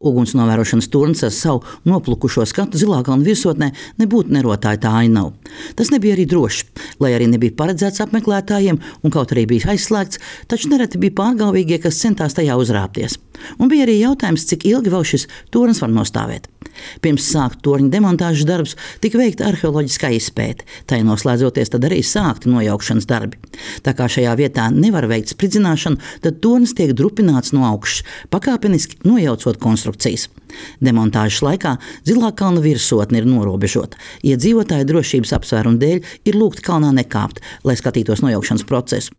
Uguns novērošanas turns ar savu noplukušo skatu Zilākalna virsotnē nebūtu nerotāja tā ainava. Tas nebija arī droši, lai arī nebija paredzēts apmeklētājiem un kaut arī bija aizslēgts, taču nereti bija pārgalvīgie, kas centās tajā uzrāpties. Un bija arī jautājums, cik ilgi vēl šis turns var nostāvēt. Pirms sākt torņa demontāžas darbus tika veikta arheoloģiskā izpēte, tai noslēdzoties tad arī sākti nojaukšanas darbi. Tā kā šajā vietā nevar veikt spridzināšanu, tad tornis tiek drupināts no augšas, pakāpeniski nojaucot konstrukcijas. Demontāžas laikā Zilākalna virsotne ir norobežota. Iedzīvotāju drošības apsvērumu dēļ ir lūgti kalnā nekāpt, lai skatītos nojaukšanas procesu.